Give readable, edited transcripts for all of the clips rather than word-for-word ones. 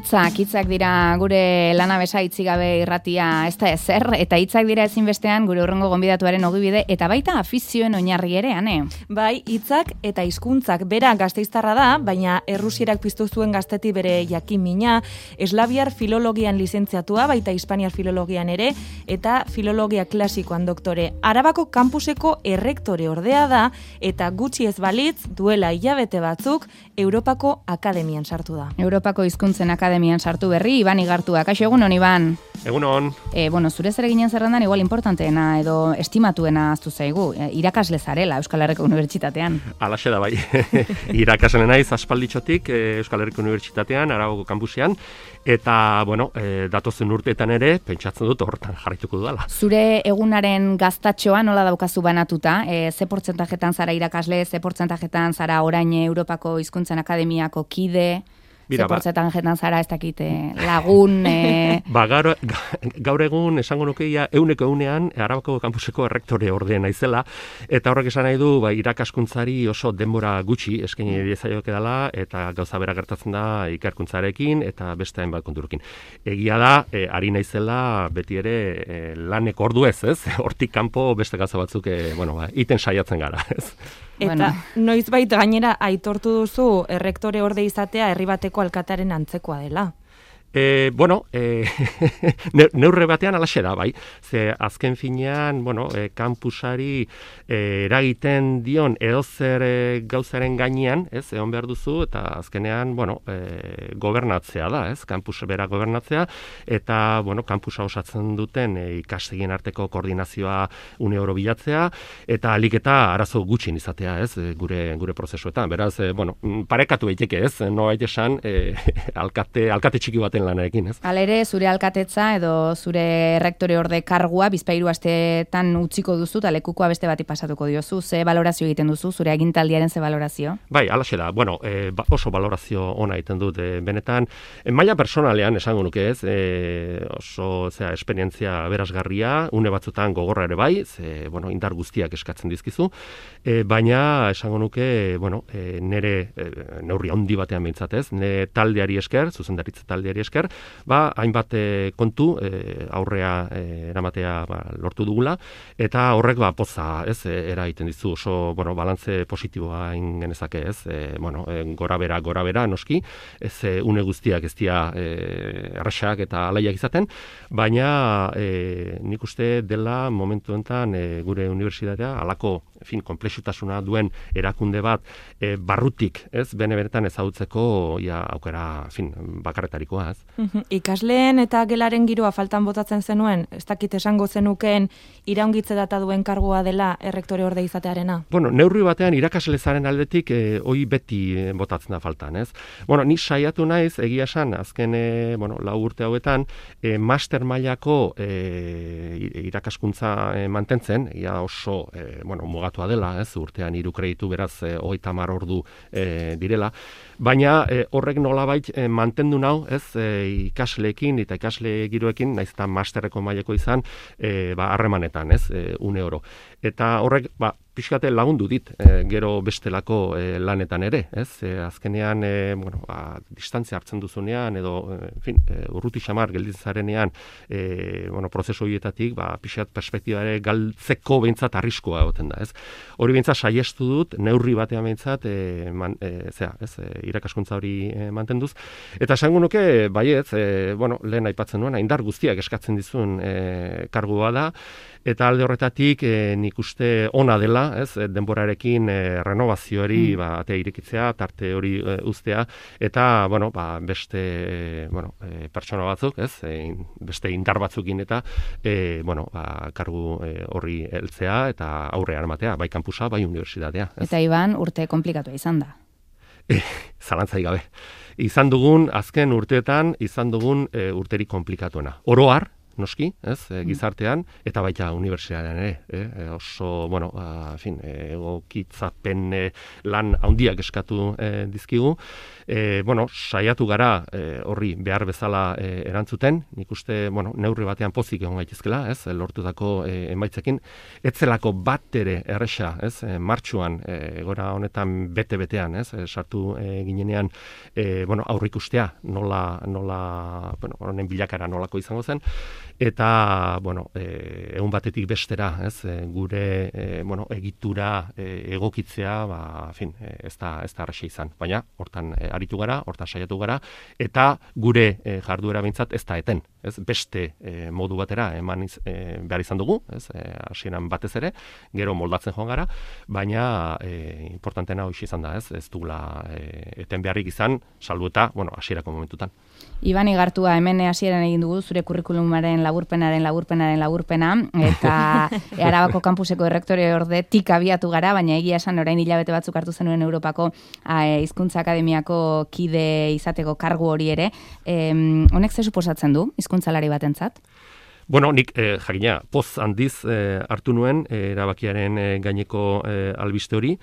Hitzak dira gure lanabesa itzigabe irratia ez da ezer, eta hitzak dira ezinbestean gure hurrengo gonbidatuaren ogibide, eta baita afizioen oinarri ere, ane? Bai, hitzak eta hizkuntzak bera gasteiztarra da, baina Errusierak piztu zuen gazteti bere jakin mina, eslaviar filologian lizentziatua, baita hispaniar filologian ere, eta filologia klasikoan doktore. Arabako kampuseko errektore ordea da, eta gutxi ez balitz, duela hilabete batzuk, Europako Akademian sartu da. Europako hizkuntzen Akademian sartu berri, Iban Igartua. Kaixo, egunon, Iban? Egunon. Zure zereginen zerrendan igual importanteena edo estimatuena aztu zaigu. Irakasle zarela Euskal Herriko Unibertsitatean. Alaxe da bai. Irakasle naiz aspalditxotik Euskal Herriko Unibertsitatean, Arabako kampusean, eta, datozen urteetan ere, pentsatzen dut hortan jarraituko dudala. Zure egunaren gaztatxoa nola daukazu banatuta? Ze portzentajetan zara irakasle, ze portzentajetan zara orain Europako Hizkuntzen Akademiako kide? Ze portzentajetan zara ez dakite lagun? Gaur egun esango nukeia 100% Arabako kampuseko errektore ordea naizela, eta horrek esan nahi du irakaskuntzari oso denbora gutxi eskaini diezaioke dela, eta gauza bera gertatzen da ikerkuntzarekin eta beste hainbat konturekin. Egia da, ari naizela beti ere lanek ordu ez? Hortik kanpo beste gauza batzuk iten saiatzen gara, ez? Eta noizbait gainera aitortu duzu errektore orde izatea herri bateko alkatearen antzekoa dela. Neurre batean alaxe da, bai. Ze azken finean, kampusari eragiten dion edozer gauzaren gainean, ez, egon behar duzu, eta azkenean, gobernatzea da, ez, kampus bera gobernatzea, eta, kampusa osatzen duten ikastegien arteko koordinazioa une oro bilatzea, eta alik eta arazo gutxin izatea, ez, gure prozesuetan. Beraz, parekatu daiteke, ez, nobait esan, alkate txiki baten lanarekin, ez? Halere, zure alkatetza edo zure errektore orde kargua bizpahiru asteetan utziko duzu, eta lekukoa beste bati pasatuko diozu. Ze balorazio egiten duzu, zure agintaldiaren ze balorazio? Bai, alaxe da. Oso balorazio ona egiten dut, benetan, maila personalean esango nuke, ez? Oso, esperientzia berazgarria, une batzutan gogorra ere bai, indar guztiak eskatzen dizkizu, baina esango nuke, nere neurri handi batean behintzat, ez? Nire taldeari esker, zuzendaritza taldeari esker, hainbat kontu aurrea eramatea lortu dugula, eta horrek poza, ez, eraiten dizu oso, balantze positiboa genezake, ez, gora bera noski, ez une guztiak ez dira erraxak eta alaiak izaten, baina nik uste dela momentu enten gure unibertsitatea halako konplexutasuna duen erakunde bat barrutik, ez, benetan ezagutzeko aukera bakarretarikoa, ez. Ikasleen eta gelaren giroa faltan botatzen zenuen, ez dakit esango zenukeen iraungitze data duen kargua dela errektore orde izatearena? Neurri batean irakaslezaren aldetik hoi beti botatzen da faltan, ez. Ni saiatu naiz, egia esan, azken 4 urte hauetan, master mailako irakaskuntza mantentzen, oso mugatua dela, ez, urtean 3 kreditu beraz 30 ordu direla, baina horrek nolabait mantendu nau, ez, ikasleekin eta ikasle giroekin, naiz eta masterreko maileko izan, harremanetan, ez, une oro. Eta horrek, pixkate lagundu dit, gero bestelako lanetan ere, ez? Azkenean, distantzia hartzen duzunean, edo, urruti xamar gelditzen zarenean, prozesu horietatik, pixkat perspektibare galtzeko behintzat arriskoa egoten da, ez? Hori behintzat saiestu dut, neurri batean behintzat, irakaskuntza hori mantenduz. Eta esango nuke, baietz, lehen aipatzen nuen, indar guztiak eskatzen dizun kargua da, eta alde horretatik nik uste ona dela, ez, denborarekin renovazioari atea irekitzea, tarte hori uztea, eta beste pertsona batzuk, ez, beste indar batzukin eta kargu horri heltzea eta aurre armatea, bai kampusa, bai unibertsitatea. Eta Iban, urte komplikatua izan da. Zalantzai gabe. Azken urteetan izan dugun urterik komplikatuena. Oro har, noski, ez, gizartean, eta baita unibertsitatean ere, oso, bueno, egokitzapen lan handiak eskatu dizkigu. Bueno, saiatu gara horri behar bezala erantzuten, nik uste, bueno, neurri batean pozik egon gaitezkela, ez, lortutako emaitzekin, etzelako bat ere erresa, ez, martxuan, gora honetan bete-betean, ez, sartu ginenean, bueno, aurrikustea, nola, bueno, honen bilakara nolako izango zen, eta, bueno, egun batetik bestera, ez, gure, bueno, egitura egokitzea, ba, ez da arraxa izan, baina, hortan aritu gara, hortan saiatu gara, eta gure jarduera behintzat ez da eten, ez, beste modu batera eman behar izan dugu, ez, hasieran batez ere, gero moldatzen joan gara, baina importantena hoxe izan da, ez dugula eten beharrik izan, salbu eta, bueno, hasierako momentutan. Iban Igartua hemen hasieran egin dugu zure kurrikulumaren laburpena, eta Arabako kampuseko errektore ordetik abiatu gara, baina egia esan orain hilabete batzuk hartu zenuen Europako hizkuntza akademiako kide izateko kargu hori ere. Honek ze suposatzen du hizkuntzalari batentzat? Bueno, nik jakina poz handiz hartu nuen erabakiaren gaineko albiste hori.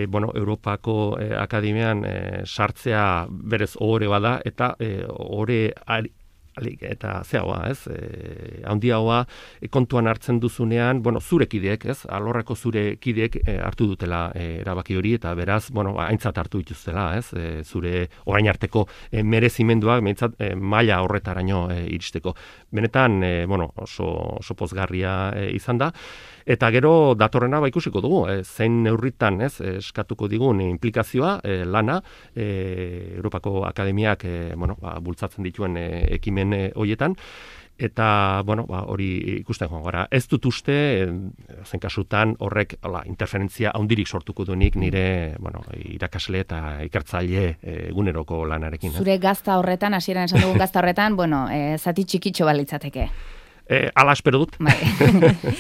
Bueno, Europako akademian sartzea berez ohore bada, eta ohore eta zeagoa, ez, handiagoa kontuan hartzen duzunean, bueno, zure kideek, ez, alorreko zure kideek hartu dutela erabaki hori, eta beraz, bueno, aintzat hartu dituztela, ez, zure orain arteko merezimenduak, maila horretaraino iristeko. Benetan, bueno, oso pozgarria izan da, eta gero datorrena ikusiko dugu, zein neurritan, ez, eskatuko digun implikazioa, lana, Europako Akademiak, bueno, bultzatzen dituen ekimen hoietan, eta, bueno, hori ikusten joan gara. Ez dut uste, zen kasutan horrek interferentzia handirik sortuko duenik nire, bueno, irakasle eta ikertzaile eguneroko lanarekin. Zure gazta horretan, hasieran esan dugun gazta horretan, bueno, zati txikitxo balitzateke. Ala espero dut.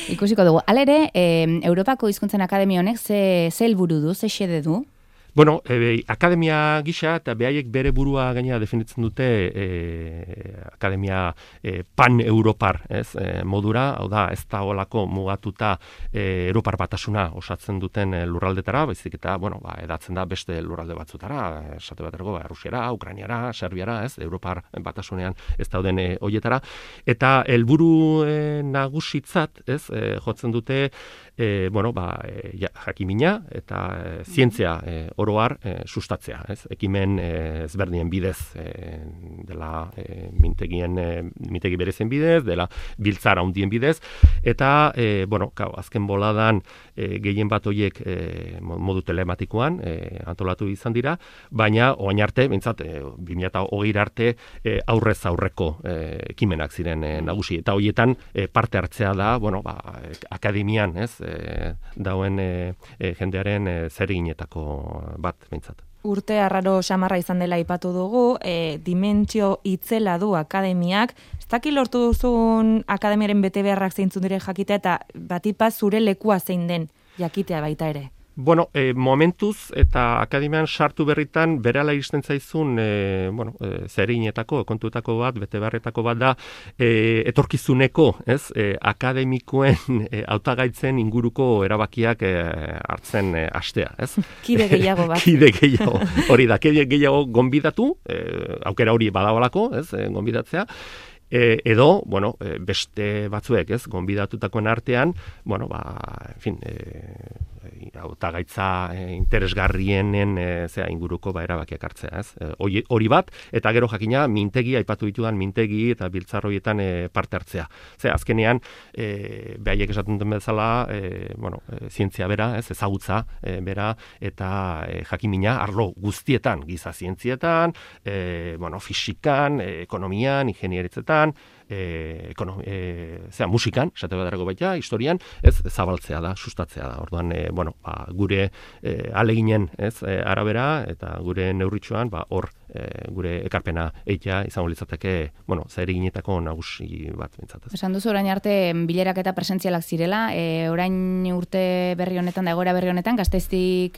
Ikusiko dugu. Halere, Europako Hizkuntzen Akademia honek ze helburu du, ze xede du? Bueno, akademia gisa eta behaiek bere burua gaina definitzen dute akademia pan-europar, ez, modura, hau da, ez da olako mugatuta Europar batasuna osatzen duten lurraldetara, baizik eta, bueno, edatzen da beste lurralde batzutara, esate baterako, Rusiara, Ukrainiara, Serbiara, ez, Europar batasunean ez dauden hoietara, eta helburu nagusitzat, ez, jotzen dute, bueno, jakimina eta zientzia oroar sustatzea, ez? Ekimen ezberdinen bidez, dela mintegi berezen bidez, dela biltzara handien bidez, eta, bueno, azken boladan gehien bat horiek modu telematikoan antolatu izan dira, baina orain arte, behintzat, 2020 arte aurrez aurreko ekimenak ziren nagusi, eta horietan parte hartzea da, bueno, akademian, ez, dauen jendearen zerginetako bat behintzat. Urte arraro xamarra izan dela aipatu dugu, dimentsio itzela du akademiak. Ez daki lortu duzun akademiaren bete beharrak zeintzun dire jakitea, eta batipaz zure lekua zein den jakitea baita ere. Bueno, momentuz eta akademian sartu berritan berala iristen zaizun, bueno, zerinetako, kontuetako bat, bete beharretako bat da, etorkizuneko, ez, akademikoen hautagaitzen inguruko erabakiak hartzen hastea, ez? Kide gehiago bat. Kide gehiago, hori da, kide gehiago gonbidatu, aukera hori badagoelako, ez, gonbidatzea, edo, bueno, beste batzuek, ez, gonbidatutakoen artean, bueno, en fin, hautagaitza interesgarrienen inguruko erabakiak hartzea, ez? Hori bat, eta gero jakina mintegi, aipatu ditudan mintegi eta biltzarroietan parte hartzea. Azkenean, behaiek esaten den bezala, bueno, zientzia bera, ez, ezagutza bera, eta jakimina arlo guztietan, giza zientzietan, bueno, fisikan, ekonomian, ingenieritzetan, musikan, esate baterako baita, historian, ez, zabaltzea da, sustatzea da. Orduan, bueno, gure aleginen, ez, arabera, eta gure neurritxoan, hor gure ekarpena eitea izango litzateke, zer eginetako nagusi bat bintzatez. Esan duzu orain arte bilerak eta presentzialak zirela, orain urte berri honetan da egoera berri honetan, Gasteiztik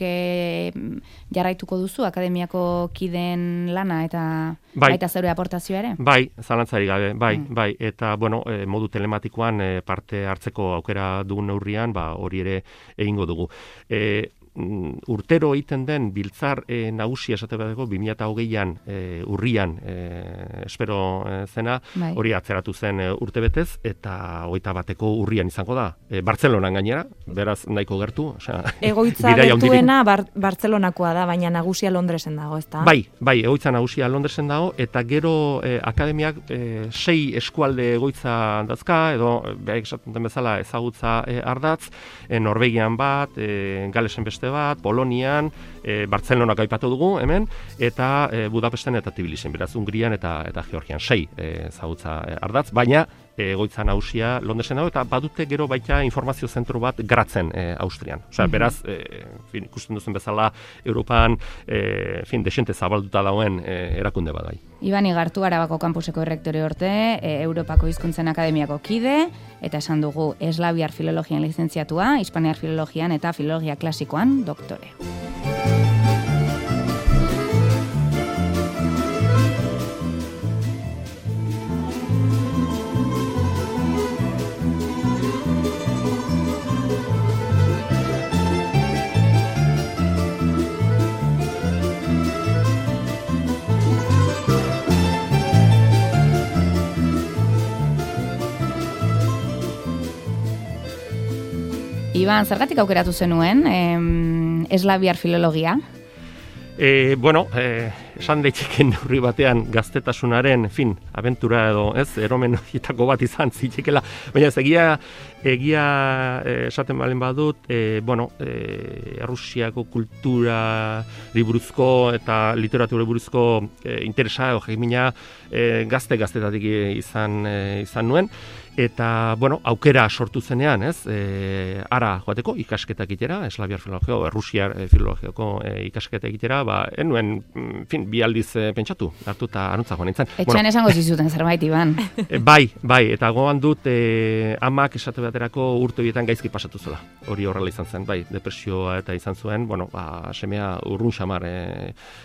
jarraituko duzu akademiako kideen lana eta baita zeure aportazioa ere? Bai, zalantzari gabe, bai, eta modu telematikoan parte hartzeko aukera dugun neurrian, hori ere egingo dugu. Urtero egiten den biltzar nagusia esate bateko 2020an urrian espero zena, hori atzeratu zen urtebetez eta 21ko urrian izango da. Bartzelonan gainera, beraz nahiko gertu. Egoitza gertuena Bartzelonakoa da, baina nagusia Londresen dago, ezta? Bai, egoitza nagusia Londresen dago, eta gero akademiak 6 eskualde egoitza dazka, edo behar esaten den bezala ezagutza ardatz, Norvegian bat, Galesen beste bat, Polonian, Bartzelonak aipatu dugu hemen, eta Budapesten eta Tbilisen, beraz Hungrian eta Georgian 6 ezagutza ardatz, baina egoitza nagusia Londresen dago, eta badute gero baita informazio zentro bat Gratzen Austrian. Osea, beraz, ikusten duzen bezala Europan desente zabalduta dauen erakunde bat bai. Iban Igartu, Arabako kampuseko errektore orte, Europako Hizkuntzen Akademiako kide, eta esan dugu eslaviar filologian lizentziatua, hispaniar filologian eta filologia klasikoan doktore. Iban, zergatik aukeratu zenuen eslaviar filologia? Esan daiteken neurri batean gaztetasunaren, abentura edo, eromen horietako bat izan zitekela, baina ez egia esaten balen badut, Errusiako kulturari buruzko eta literaturari buruzko interesa edo jekimina gaztetatik izan nuen. Eta, aukera sortu zenean, ara joateko ikasketak egitera, eslaviar filologia, Errusiar filologiako ikasketak egitera, enuen, bi aldiz pentsatu, hartu eta anuntza joan nintzen. Etxean esango zizuten zerbait, Iban. Bai, eta gogoan dut amak esate baterako urte horietan gaizki pasatu zela. Hori horrela izan zen, bai, depresioa eta izan zuen, semea urrun xamar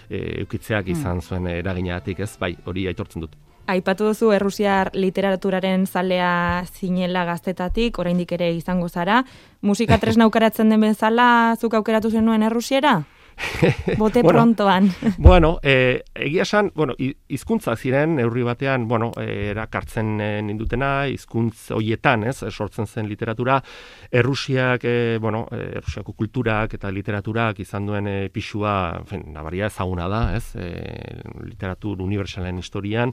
eukitzeak izan zuen eraginagatik, bai, hori aitortzen dut. Aipatu duzu Errusiar literaturaren zalea zinela gaztetatik, oraindik ere izango zara. Musika tresna aukeratzen den bezala, zuk aukeratu zenuen Errusiera? Bote prontoan. Egia esan, hizkuntza ziren, neurri batean, erakartzen nindutena, hizkuntz horietan, sortzen zen literatura, Errusiako kulturak eta literaturak izan duen pixua, nabaria ezaguna da, literatur universalen historian,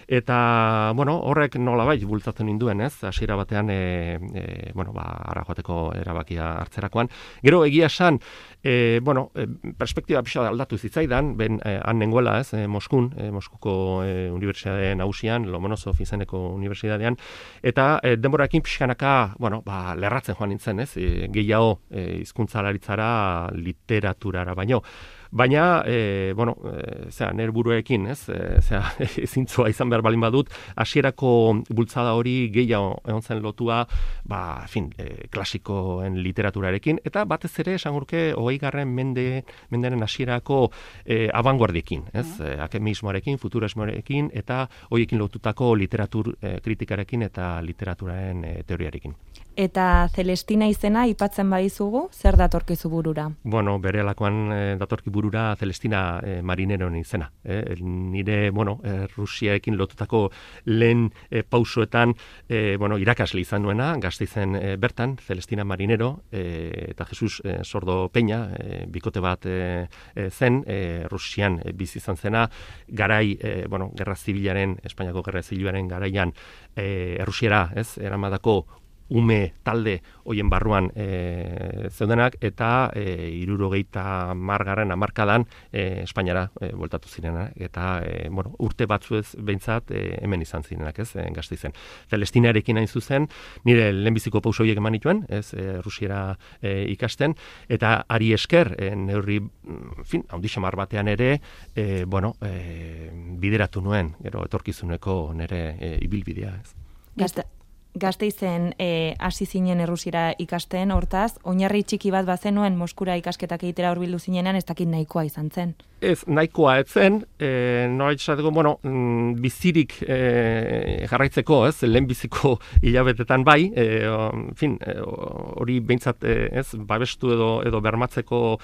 eta, horrek nolabait bultzatzen ninduen, hasiera batean, ara joateko erabakia hartzerakoan. Gero, egia esan, perspektiba pixka aldatu zitzaidan, han nengoela, Moskun, Moskuko unibertsitate nagusian, Lomonosov izeneko unibertsitatean, eta denborarekin pixkanaka, lerratzen joan nintzen, gehiago hizkuntzalaritzara, literaturara baino. Baina, nire buruekin, zintzoa izan behar balin badut, hasierako bultzada hori gehiago egon zen lotua, klasikoen literaturarekin, eta batez ere, esangurke, 20. menderen hasierako abanguardiekin, akemismoarekin, futurismoarekin, eta horiekin lotutako literatur kritikarekin eta literaturaren teoriarekin. Eta Celestina izena aipatzen badizugu, zer datorkizu burura? Berehalakoan datorki burura Celestina Marineron izena. Nire, Rusiaekin lotutako lehen pausoetan, irakasle izan nuena, Gasteizen bertan, Celestina Marinero, eta Jesus Sordo Peña, bikote bat zen, Rusian bizi izan zena, garai, Gerra Zibilaren, Espainiako Gerra Zibilaren garaian, Errusiera, eramadako ume talde hoien barruan zeudenak, eta 70 hamarkadan Espainiara bueltatu zirenak, eta urte batzuez behintzat hemen izan zirenak, ez, Gasteizen. Celestinarekin hain zuzen, nire lehenbiziko pauso horiek eman nituen, ez, Rusiera ikasten, eta ari esker, neurri, handi xamar batean ere, bideratu nuen, gero etorkizuneko nire ibilbidea, ez. Gasteizen hasi zinen Errusiera ikasten, hortaz, oinarri txiki bat bazenuen Moskura ikasketak egitera hurbildu zinenan, ez dakit nahikoa izan zen. Ez, nahikoa ez zen, nola esateko, bizirik jarraitzeko, ez, lehenbiziko hilabetetan bai, hori behintzat, ez, babestu edo bermatzeko,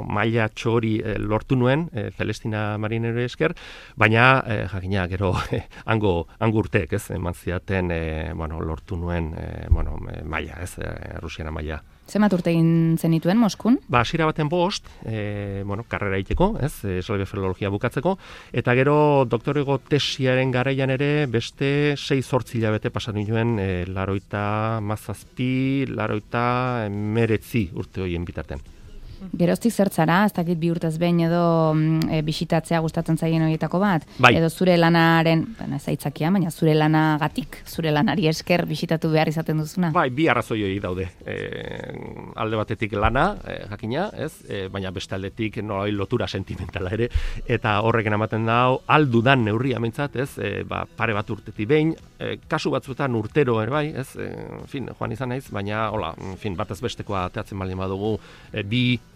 maila txori lortu nuen, Celestina Marinero esker, baina, jakina, gero, hango urteek, ez, eman ziaten, lortu nuen, maila, ez, Rusiana maila. Zenbat urte egin zenituen Moskun? Hasiera baten 5, karrera egiteko, ez, eslabia filologia bukatzeko, eta gero doktorego tesiaren garaian ere beste 6-8 hilabete pasan nituen 87 urte horien bitartean. Geroztik zertzara, ez dakit 2 urtez behin edo bisitatzea gustatzen zaien horietako bat? Bai. Edo zure lanaren, ez aitzakia, baina zure lanagatik, zure lanari esker bisitatu behar izaten duzuna? Bai, bi arrazoi hori daude. Alde batetik lana, jakina, ez? Baina beste aldetik nolai lotura sentimentala ere, eta horrekin ematen dau, aldudan neurria mentzat, ez? Pare bat urtetik behin, kasu batzuetan urtero ere bai, ez? Joan izan naiz, baina, batez bestekoa ateatzen baldin badugu,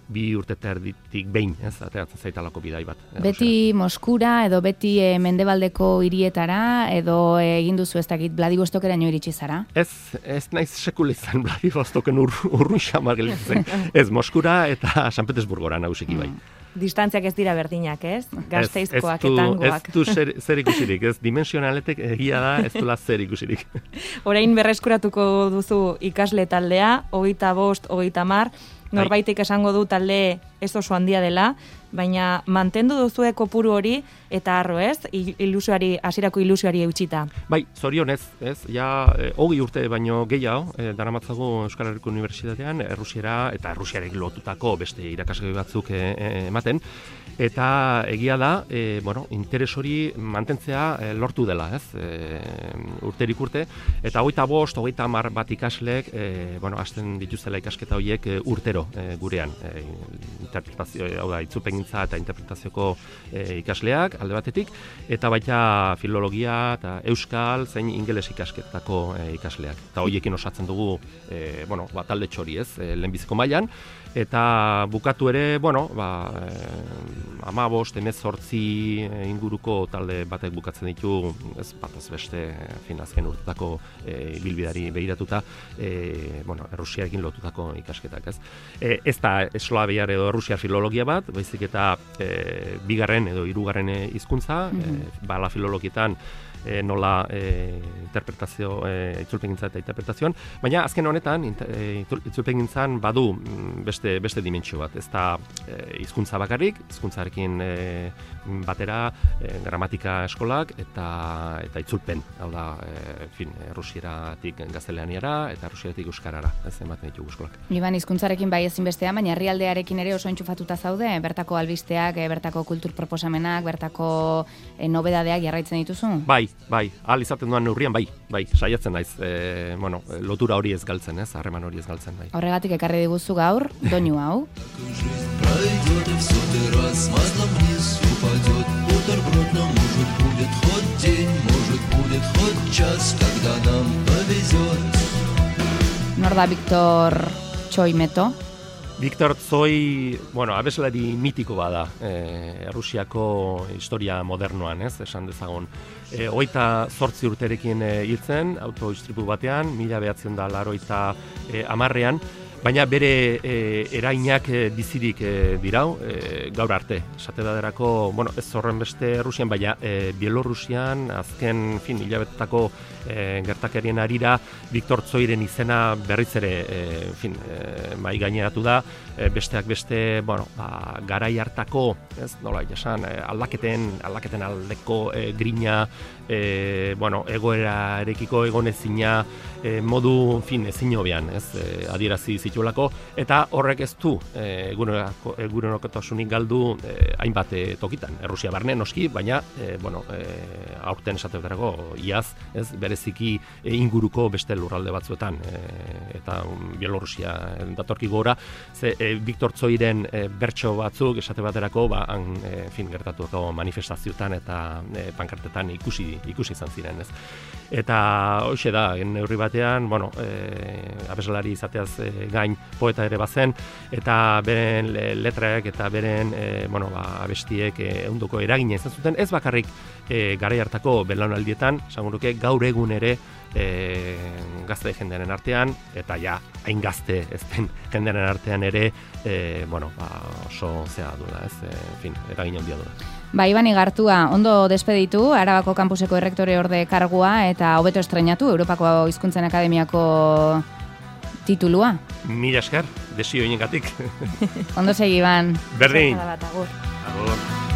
bi urte terditik behin, ez, ateratzen zaitalako bidai bat. Beti Moskura, edo beti mendebaldeko hirietara, edo egin duzu ez dakit Vladivostokeraino iritsi zara? Ez naiz sekula izan Vladivostoken urrun xamar gelditzen. Ez, Moskura eta San Petersburgora nagusiki bai. Distantziak ez dira berdinak, ez? Gasteizkoak eta hangoak. Ez du zer ikusirik, ez? Dimensionaletek egia da, ez duela zer ikusirik. Orain berreskuratuko duzu ikasle taldea, 25, 30, norbaitik esango du talde ez oso handia dela, baina mantendu duzue kopuru hori eta harro, ez? Hasierako ilusioari eutxita. Bai, zorionez, ez? Ja, 20 urte baino gehiago, daramatzagu Euskal Herriko Unibertsitatean, Errusiera eta Errusiarekin lotutako beste irakasgai batzuk ematen, eta egia da, interes hori mantentzea lortu dela, ez? Urterik urte, eta 25, 30 bat ikaslek, hasten dituzela ikasketa horiek urtero gurean, interpretazio, hau da, itzulpengintza eta interpretazioko ikasleak alde batetik, eta baita filologia eta euskal zein ingeles ikasketako ikasleak. Eta horiekin osatzen dugu, talde txori, ez, lehenbiziko mailan, eta bukatu ere, 15, 18 inguruko talde batek bukatzen ditu, ez batez beste, azken urtetako ibilbideari begiratuta, Errusiarekin lotutako ikasketak, ez. Ez da eslaviar edo Errusiar filologia bat, baizik eta bigarren edo hirugarren hizkuntza, bala filologietan nola interpretazio, itzulpengintza eta interpretazioan, baina azken honetan itzulpengintzan badu beste dimentsio bat, ez da hizkuntza bakarrik, hizkuntzarekin batera gramatika eskolak eta itzulpen, hau da, Errusieratik gaztelaniara eta Errusieratik euskarara, ez ematen ditugu eskolak. Iban, hizkuntzarekin bai ezinbestean, baina herrialdearekin ere oso entxufatuta zaude, bertako albisteak, bertako kultur proposamenak, bertako nobedadeak jarraitzen dituzu? Bai, ahal izaten duan neurrian, bai, saiatzen naiz, lotura hori ez galtzen, ez, harreman hori ez galtzen, bai. Horregatik ekarri diguzu gaur, doinu hau. Nor da Victor Tsoi Meto? Victor Tsoi, abeslari mitiko bada, Errusiako historia modernoan, ez, esan dezagun. 28 urterekin hiltzen, autoistripu batean, 1980 10-ean, baina bere erainak bizirik dirau, gaur arte. Esate baderako, bueno, ez horren beste Rusian, baina Bielorrusian, azken, hilabetetako gertakerien arira, Viktor Tsoiren izena berriz ere, mai gaineratu da, besteak beste, bueno, garai hartako, ez, nola jasan, aldaketen aldeko grina, bueno, egoerarekiko egonezina, modu, ezin hobean, ez, adierazi zituelako, eta horrek ez du egunerokotasunik galdu hainbat tokitan. Errusia barne noski, baina, bueno, aurten esatetarako iaz, ez, bereziki inguruko beste lurralde batzuetan, eta Bielorrusia datorki gora, ze Viktor Tsoiren bertso batzuk esate baterako, gertatuko manifestazioetan eta pankartetan ikusi izan ziren, ez. Eta hoxe da, neurri batean, bueno, abeslari izateaz gain poeta ere bazen, eta beren letraek eta beren, bueno, abestiek ehunduko eragina izan zuten, ez bakarrik garai hartako belaunaldietan, esango nuke gaur egun ere gazte jendearen artean, eta ja, hain gazte ez den jendearen artean ere, bueno, oso zea duela, ez, eragin handia duela. Iban Igartua, ondo despeditu, Arabako kampuseko errektore orde kargua eta hobeto estrenatu Europako Hizkuntzen Akademiako titulua. Mila esker, desio inengatik. Ondo segi, Iban. Berdin. Agur. Agur.